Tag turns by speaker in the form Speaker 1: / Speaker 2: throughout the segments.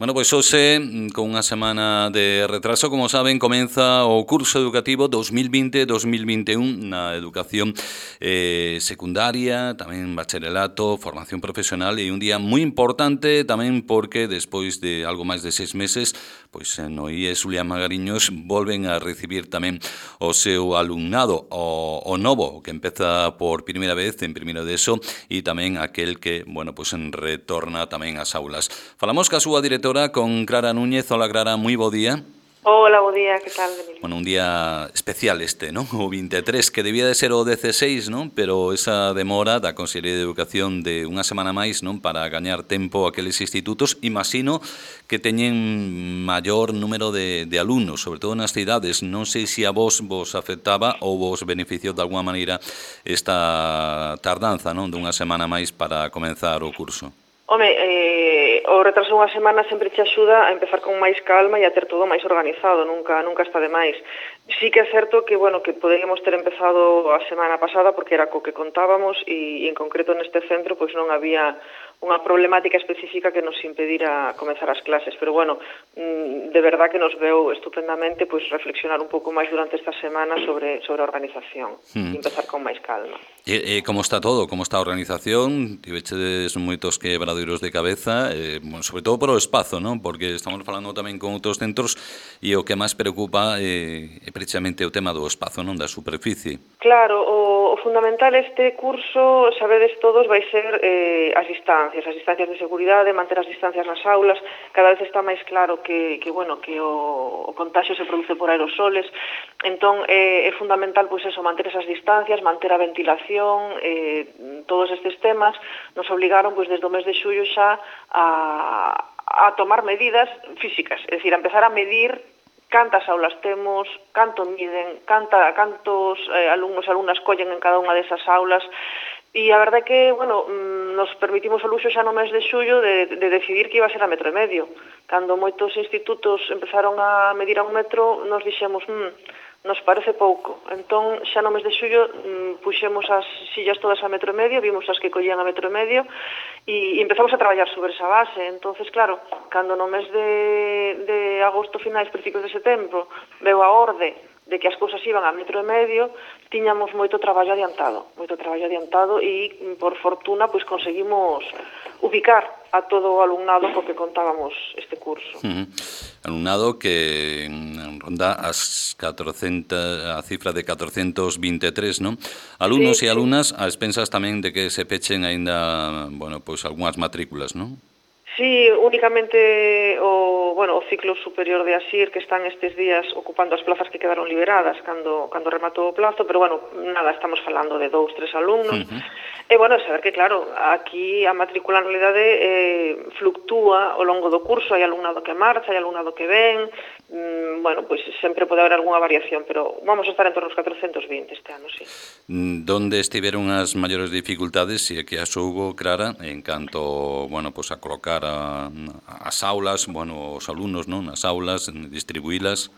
Speaker 1: Bueno, pois hoxe, con unha semana de retraso, como saben, comeza o curso educativo 2020-2021 na educación secundaria, tamén bacharelato, formación profesional e un día moi importante tamén porque despois de algo máis de 6 meses, pois no IES Julián Magariños volven a recibir tamén o seu alumnado, o novo, que empeza por primeira vez en primeiro de ESO e tamén aquel que, bueno, pois retorna tamén ás aulas. Falamos ca súa directora con Clara Núñez. Hola, Clara, moi bo día.
Speaker 2: Hola, bo día, que tal, Emilio?
Speaker 1: Bueno, un día especial este, ¿no? O 23, que debía de ser o 16, ¿no? Pero esa demora da Consellería de Educación de unha semana máis, ¿non? Para gañar tempo aqueles institutos, imagino que teñen maior número de alumnos, sobre todo nas cidades. Non sei se a vos afectaba ou vos beneficiou de alguma maneira esta tardanza, non? Dunha semana máis para comenzar o curso.
Speaker 2: Home, o retraso unha semana sempre te axuda a empezar con máis calma e a ter todo máis organizado, nunca está de máis. Sí que é certo que, bueno, que poderíamos ter empezado a semana pasada porque era co que contábamos e en concreto neste centro pois non había unha problemática específica que nos impedira comenzar as clases, pero bueno, de verdad que nos veu estupendamente pois reflexionar un pouco máis durante esta semana sobre a organización e empezar con máis calma.
Speaker 1: E como está todo? Como está a organización? Tivechedes moitos quebradoiros de cabeza, bueno, sobre todo por o espazo, non? Porque estamos falando tamén con outros centros e o que máis preocupa é precisamente o tema do espazo, non? Da superficie.
Speaker 2: Claro, o fundamental este curso, sabedes todos, vai ser as distancias de seguridade, manter as distancias nas aulas. Cada vez está máis claro que o contagio se produce por aerosoles. Entón, é fundamental, pois eso, manter esas distancias, manter a ventilación, todos estes temas nos obligaron, pois, desde o mes de xullo xa a tomar medidas físicas, é dicir, a empezar a medir cantas aulas temos, canto miden, cantos alumnos e alumnas collen en cada unha desas aulas. E a verdade é que, bueno, nos permitimos o luxo xa no mes de xullo de decidir que iba a ser a 1,5 metros. Cando moitos institutos empezaron a medir a 1 metro, nos dixemos, nos parece pouco. Entón, xa no mes de xullo puxemos as sillas todas a 1,5 metro, vimos as que collían a 1,5 metro e empezamos a traballar sobre esa base. Entonces, claro, cando no mes de agosto, finais, principios de setembro, veu a orde de que as cousas iban a 1,5 metro, tiñamos moito traballo adiantado e, por fortuna, pois conseguimos ubicar a todo o alumnado co que contábamos este curso.
Speaker 1: Alumnado que ronda as 400, a cifra de 423, non? Alumnos e alumnas a expensas tamén de que se pechen aínda, bueno, pois algunhas matrículas, non?
Speaker 2: Sí, únicamente o ciclo superior de ASIR que están estes días ocupando as plazas que quedaron liberadas cando rematou o plazo, pero bueno, nada, estamos falando de 2, 3 alumnos. E bueno, saber que claro, aquí a matrícula en realidade fluctúa ao longo do curso, hai alumnado que marcha, hai alumnado que ven, bueno, pois sempre pode haber algunha variación, pero vamos a estar en torno aos 420 este ano, sí.
Speaker 1: Donde estiveron as maiores dificultades, se é que as houbo, Clara, en canto, bueno, pois a colocar as aulas, bueno, os alumnos, non, nas aulas, distribuílas?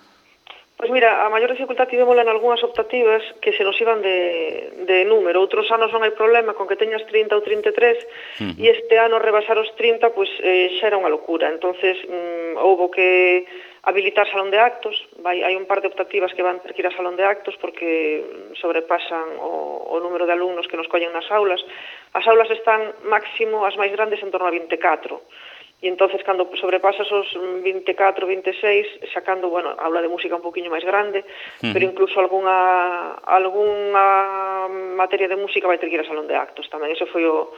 Speaker 2: Pois mira, a maior dificultad tivémola en algunhas optativas que se nos iban de número. Outros anos non hai problema con que teñas 30 ou 33 e este ano rebasar os 30 pois xa era unha locura. Entonces houbo que habilitar salón de actos, hai un par de optativas que van ter que ir a salón de actos porque sobrepasan o número de alumnos que nos collen nas aulas. As aulas están máximo, as máis grandes, en torno a 24. E entonces, cando sobrepasas os 24, 26, sacando, bueno, aula de música un poquinho máis grande, pero incluso algunha materia de música vai ter que ir a salón de actos tamén. Ese foi o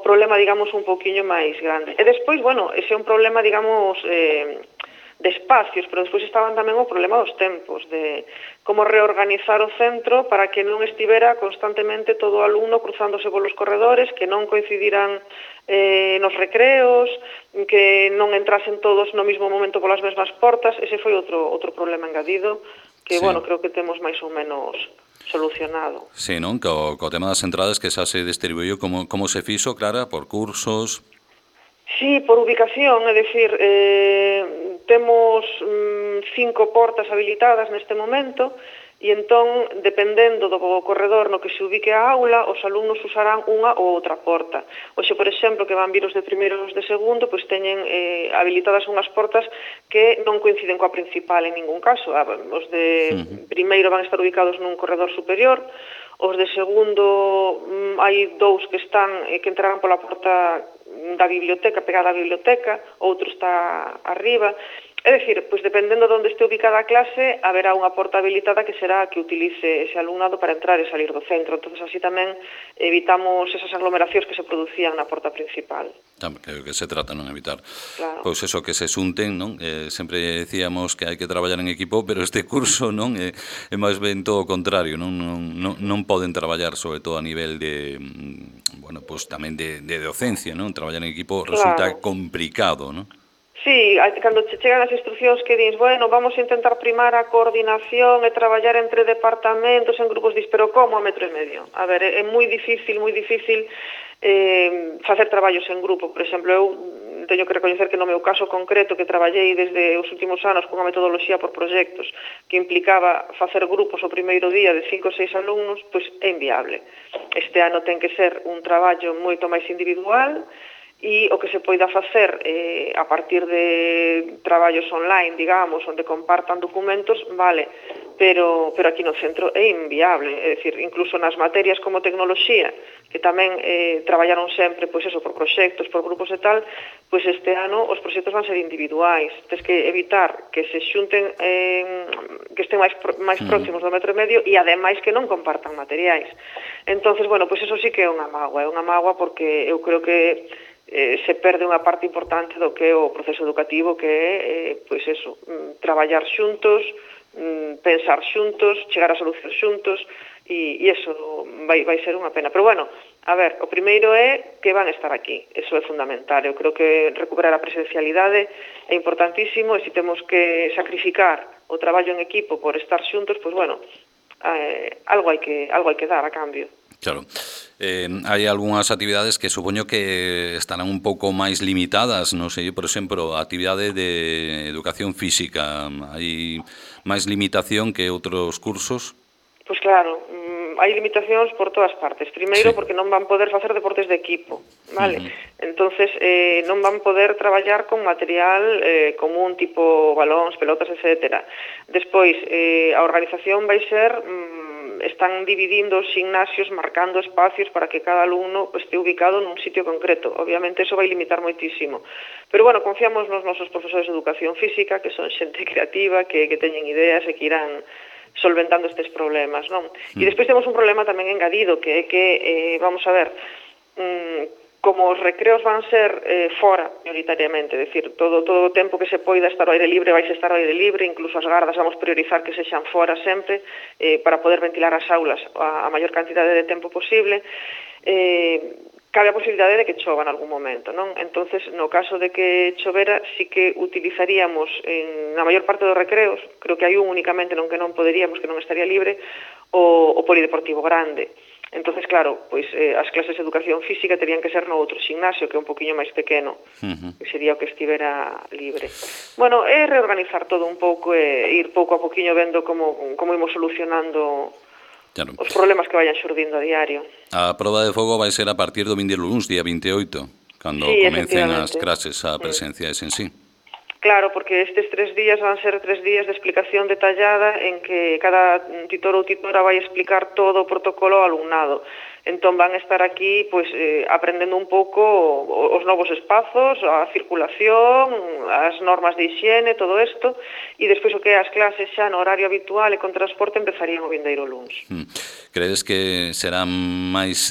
Speaker 2: problema, digamos, un poquinho máis grande. E despois, bueno, ese é un problema, digamos, de espacios, pero despois estaban tamén o problema dos tempos, de como reorganizar o centro para que non estivera constantemente todo o alumno cruzándose polos corredores, que non coincidiran nos recreos, que non entrasen todos no mismo momento polas mesmas portas. Ese foi outro problema engadido que, bueno, creo que temos máis ou menos solucionado.
Speaker 1: Sí, non? Co tema das entradas que xa se distribuiu, como se fixo, Clara, por cursos?
Speaker 2: Sí, por ubicación, é dicir, temos 5 portas habilitadas neste momento e entón, dependendo do corredor no que se ubique a aula, os alumnos usarán unha ou outra porta. Oxe, por exemplo, que van vir os de primeiro e os de segundo, pois teñen habilitadas unhas portas que non coinciden coa principal en ningún caso. Os de primeiro van estar ubicados nun corredor superior, os de segundo hai dous que entrarán pola porta da biblioteca, pegada á biblioteca, outro está arriba. É dicir, pois dependendo de onde este ubicada a clase, haberá unha porta habilitada que será a que utilice ese alumnado para entrar e salir do centro. Entón, así tamén evitamos esas aglomeracións que se producían na porta principal.
Speaker 1: Que se trata, non evitar.
Speaker 2: Claro.
Speaker 1: Pois eso, que se xunten, non? Sempre decíamos que hai que traballar en equipo, pero este curso non é máis ben todo o contrario, non poden traballar, sobre todo a nivel de, bueno, pois tamén de docencia, non? Traballar en equipo resulta complicado, non?
Speaker 2: Sí, cando che chegan as instruccións que dins, bueno, vamos a intentar primar a coordinación e traballar entre departamentos en grupos, pero como a 1,5 metros? A ver, é moi difícil facer traballos en grupo. Por exemplo, eu teño que recoñecer que no meu caso concreto, que traballei desde os últimos anos cunha metodoloxía por proxectos que implicaba facer grupos o primeiro día de 5 ou 6 alumnos, pois é inviable. Este ano ten que ser un traballo moito máis individual, e o que se poida facer a partir de traballos online, digamos, onde compartan documentos, vale, pero aquí no centro é inviable. É dicir, incluso nas materias como tecnoloxía, que tamén traballaron sempre, pois eso, por proxectos, por grupos e tal, pois este ano os proxectos van ser individuais. Tens que evitar que se xunten, que estén máis próximos do 1,5 metros e ademais que non compartan materiais. Entonces, bueno, pois eso sí que é unha mágoa porque eu creo que se perde unha parte importante do que é o proceso educativo, que é, pois eso, traballar xuntos, pensar xuntos, chegar a solucións xuntos, e eso vai ser unha pena. Pero bueno, a ver, o primeiro é que van estar aquí, eso é fundamental. Eu creo que recuperar a presencialidade é importantísimo, e se temos que sacrificar o traballo en equipo por estar xuntos, pois bueno, algo hai que dar a cambio.
Speaker 1: Claro. Hai algunhas actividades que supoño que estarán un pouco máis limitadas, non sei, por exemplo, a actividade de educación física, hai máis limitación que outros cursos?
Speaker 2: Pois claro, hai limitacións por todas partes. Primeiro, porque non van poder facer deportes de equipo, vale? Entonces, non van poder traballar con material común, tipo balóns, pelotas, etc. Despois, a organización vai ser... están dividindo os gimnasios, marcando espacios para que cada alumno este ubicado nun sitio concreto. Obviamente, eso vai limitar moitísimo. Pero, bueno, confiamos nos nosos profesores de educación física, que son xente creativa, que teñen ideas e que irán solventando estes problemas, non? E despois temos un problema tamén engadido, que é que, vamos a ver, como os recreos van ser fora, prioritariamente, é dicir, todo o tempo que se poida estar ao aire libre vai estar ao aire libre, incluso as gardas vamos priorizar que sexan fora sempre, para poder ventilar as aulas a maior cantidade de tempo posible. Cabe a posibilidade de que chova en algún momento, non? Entonces, no caso de que chovera, sí que utilizaríamos na maior parte dos recreos, creo que hai un únicamente non que non poderíamos, que non estaría libre, o polideportivo grande. Entonces, claro, pois as clases de educación física terían que ser no outro gimnasio, que é un poquinho máis pequeno, que sería o que estivera libre. Bueno, é reorganizar todo un pouco e ir pouco a poquinho vendo como imos solucionando os problemas que vayan xurdindo a diario.
Speaker 1: A proba de fogo vai ser a partir do vindeiro luns, día 28, cando comecen as clases a presenciais en sí.
Speaker 2: Claro, porque estes 3 días van ser 3 días de explicación detallada en que cada titor ou titora vai explicar todo o protocolo ao alumnado. Entón van estar aquí pois aprendendo un pouco os novos espazos, a circulación, as normas de hixiene, todo isto, e despois o que é as clases xa no horario habitual e con transporte empezarían o vindeiro luns.
Speaker 1: Credes que será máis,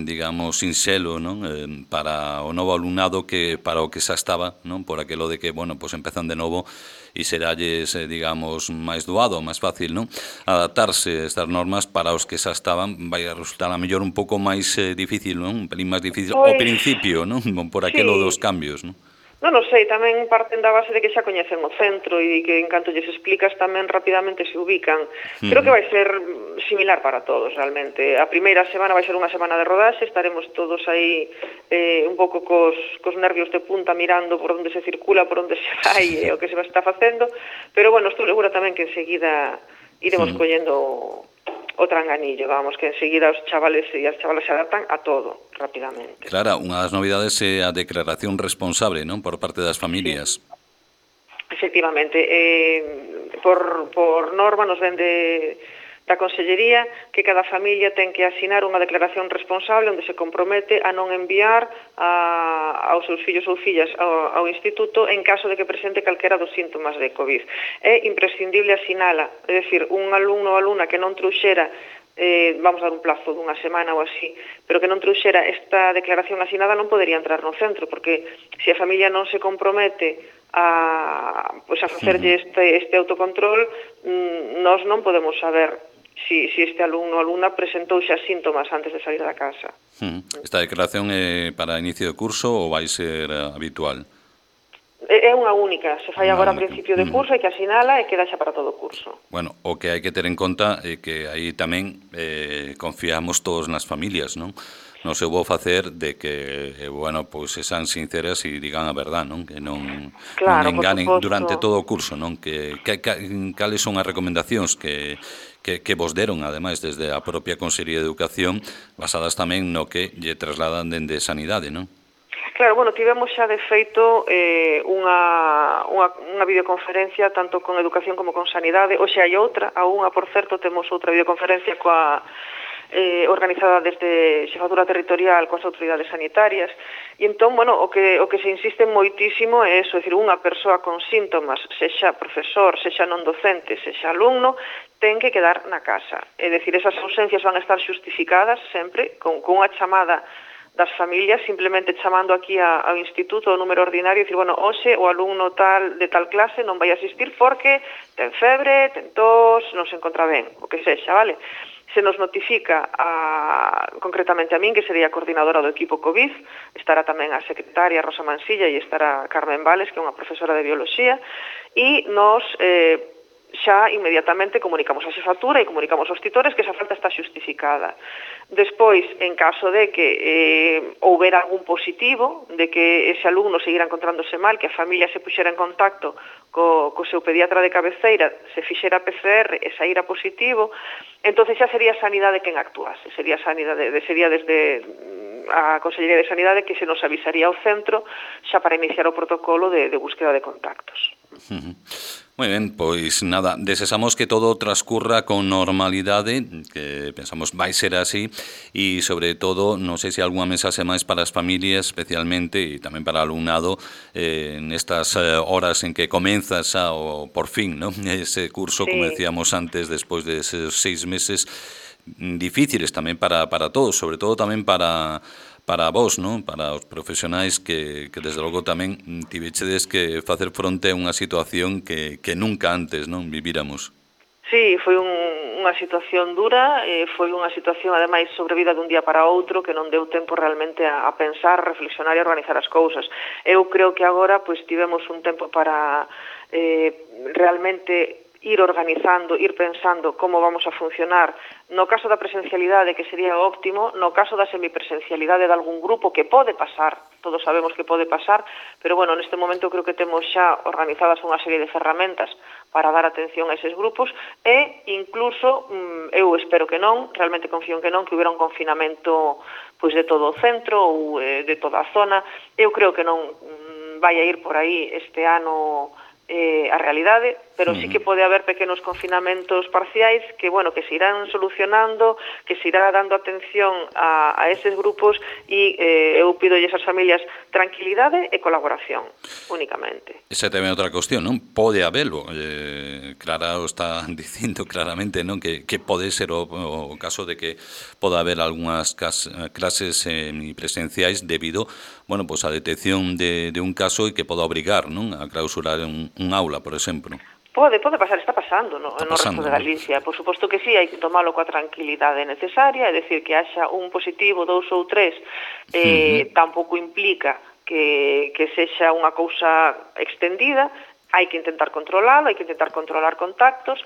Speaker 1: digamos, sinxelo, non, para o novo alumnado que para o que xa estaba, non, por aquilo de que, bueno, pois empezan de novo e seralles, digamos, máis doado, máis fácil, non? Adaptarse a estas normas para os que xa estaban vai a resultar a mellor un pouco máis difícil, non? Un pelín máis difícil ao principio, non? Por aquilo dos cambios, non?
Speaker 2: Non sei, tamén parten da base de que xa coñecen o centro e que en canto lles explicas tamén rapidamente se ubican. Creo que vai ser similar para todos, realmente. A primeira semana vai ser unha semana de rodaxe, estaremos todos aí un pouco cos nervios de punta mirando por onde se circula, por onde se vai e o que se está facendo, pero bueno, estou segura tamén que enseguida iremos collendo o tranganillo, vamos, que enseguida os chavales e as chavalas se adaptan a todo rapidamente.
Speaker 1: Claro, unha das novidades é a declaración responsable, non, por parte das familias.
Speaker 2: Sí. Efectivamente, por norma nos ven da Consellería que cada familia ten que asinar unha declaración responsable onde se compromete a non enviar aos seus fillos ou fillas ao instituto en caso de que presente calquera dos síntomas de COVID. É imprescindible asinala, é dicir, un alumno ou alumna que non trouxera vamos dar un plazo dunha semana ou así, pero que non trouxera esta declaración asinada non podería entrar no centro, porque se a familia non se compromete a facerlle este autocontrol, nós non podemos saber si este alumno ou alumna presentou xa síntomas antes de salir da casa.
Speaker 1: Esta declaración é para inicio de curso ou vai ser habitual?
Speaker 2: É unha única, se fai agora a principio de curso, hai que asinala e queda xa para todo o curso.
Speaker 1: Bueno, o que hai que ter en conta é que aí tamén confiamos todos nas familias, non? Non se vou facer de que, bueno, pois sexan sinceras e digan a verdad, non? Que non enganen durante todo o curso, non? Cales son as recomendacións que vos deron, ademais, desde a propia Consellería de Educación, basadas tamén no que lle trasladan dende Sanidade, non?
Speaker 2: Claro, bueno, tivemos xa de feito unha videoconferencia tanto con Educación como con Sanidade. Hoxe hai outra, a unha, por certo, temos outra videoconferencia organizada desde Xefatura Territorial coas autoridades sanitarias. E entón, bueno, o que se insiste moitísimo é eso, é dicir, unha persoa con síntomas, sexa profesor, sexa non docente, sexa alumno, ten que quedar na casa. É dicir, esas ausencias van a estar xustificadas sempre con unha chamada das familias, simplemente chamando aquí ao instituto o número ordinario e dicir, bueno, hoxe o alumno de tal clase non vai asistir porque ten febre, ten tos, non se encontra ben, o que sexa, vale? Se nos notifica concretamente a min, que sería a coordinadora do equipo COVID, estará tamén a secretaria Rosa Mansilla e estará Carmen Vales, que é unha profesora de bioloxía, e nos xa inmediatamente comunicamos a xefatura e comunicamos aos titores que esa falta está xustificada. Despois, en caso de que houbera algún positivo, de que ese alumno seguira encontrándose mal, que a familia se puxera en contacto co seu pediatra de cabeceira, se fixera PCR e saíra positivo, entonces xa sería Sanidade quen actuase, sería desde a Consellería de Sanidade que se nos avisaría ao centro xa para iniciar o protocolo de búsqueda de contactos.
Speaker 1: Moi ben, pois nada, desexamos que todo transcurra con normalidade, que pensamos vai ser así, e sobre todo, non sei se algunha mensaxe máis para as familias, especialmente, e tamén para o alumnado, nestas horas en que comeza xa, por fin, ¿no?, ese curso, como decíamos antes, despois de esos 6 meses difíciles tamén para todos, sobre todo tamén para vos, non? Para os profesionais que desde logo tamén tivechedes que facer fronte a unha situación que nunca antes, non, vivíramos.
Speaker 2: Sí, foi unha situación dura, foi unha situación ademais sobrevida dun día para outro que non deu tempo realmente a pensar, reflexionar e organizar as cousas. Eu creo que agora pois tivemos un tempo para realmente ir organizando, ir pensando como vamos a funcionar no caso da presencialidade, que sería óptimo, no caso da semipresencialidade de algún grupo, que pode pasar, todos sabemos que pode pasar, pero bueno, neste momento creo que temos xa organizadas unha serie de ferramentas para dar atención a eses grupos e incluso, eu espero que non, realmente confío en que non, que hubiera un confinamento pois de todo o centro ou de toda a zona. Eu creo que non vai a ir por aí este ano a realidade, pero sí que pode haber pequenos confinamentos parciais que, bueno, que se irán solucionando, que se irá dando atención a eses grupos e eu pido a esas familias tranquilidade e colaboración, únicamente.
Speaker 1: Esa é tamén outra cuestión, non? Pode habelo. Clara o está dicindo claramente, non? Que pode ser o caso de que poda haber algunhas clases semipresenciais debido, bueno, pues a detección de un caso e que poda obrigar, non, a clausurar un aula, por exemplo.
Speaker 2: Pode pasar, está pasando no resto de Galicia. Por suposto que sí, hai que tomalo coa tranquilidade necesaria, é dicir, que haxa un positivo, 2 ou 3, tampouco implica que sexa unha cousa extendida, hai que intentar controlalo, hai que intentar controlar contactos,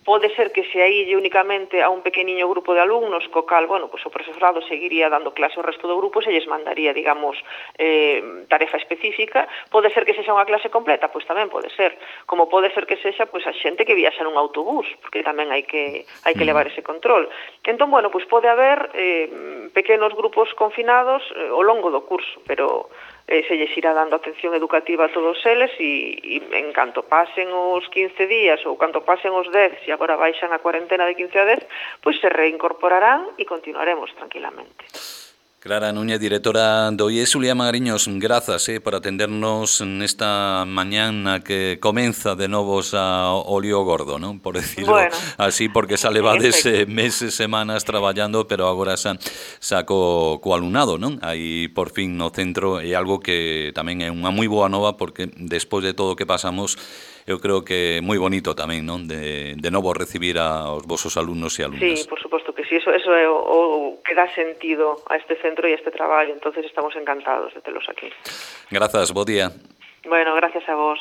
Speaker 2: pode ser que se aílle únicamente a un pequeniño grupo de alumnos, co cal, bueno, pues o profesorado seguiría dando clase ao resto do grupo, se lles mandaría, digamos, tarefa específica. Pode ser que sexa unha clase completa, pois tamén pode ser, como pode ser que sexa pois a xente que viaxa nun autobús, porque tamén hai que levar ese control. Entón, bueno, pois pode haber pequenos grupos confinados ao longo do curso, pero se lles irá dando atención educativa a todos eles e en canto pasen os 15 días ou canto pasen os 10, se agora baixan a cuarentena de 15 a 10, pois se reincorporarán e continuaremos tranquilamente.
Speaker 1: Clara Núñez, directora do IES. Xulia Magariños, grazas por atendernos nesta mañana que comeza de novos o lío gordo, non? Por decirlo así, porque xa levades meses, semanas traballando, pero agora xa co alumnado, non? Aí por fin no centro, é algo que tamén é unha moi boa nova, porque despois de todo o que pasamos, eu creo que é moi bonito tamén, non? De novo recibir aos vosos alumnos e alumnas.
Speaker 2: Sí, por suposto que sí, eso é o que dá sentido a este centro e a este traballo, entonces estamos encantados de telos aquí.
Speaker 1: Grazas, bo día.
Speaker 2: Bueno, gracias a vos.